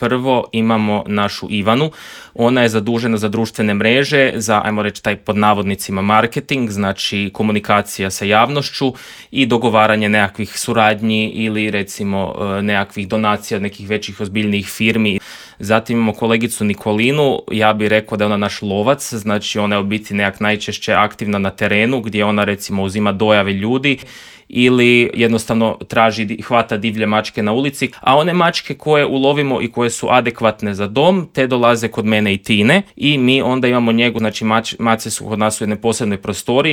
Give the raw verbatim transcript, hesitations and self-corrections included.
Prvo imamo našu Ivanu, ona je zadužena za društvene mreže, za, ajmo reći, taj pod navodnicima marketing, znači komunikacija sa javnošću i dogovaranje nekakvih suradnji ili recimo nekakvih donacija od nekih većih ozbiljnijih firmi. Zatim imamo kolegicu Nikolinu, ja bih rekao da je ona naš lovac, znači ona je u biti nekak najčešće aktivna na terenu gdje ona recimo uzima dojave ljudi ili jednostavno traži, hvata divlje mačke na ulici, a one mačke koje ulovimo i koje su adekvatne za dom, te dolaze kod mene i Tine i mi onda imamo njegu, znači mač, mace su kod nas u jednoj posebnoj prostoriji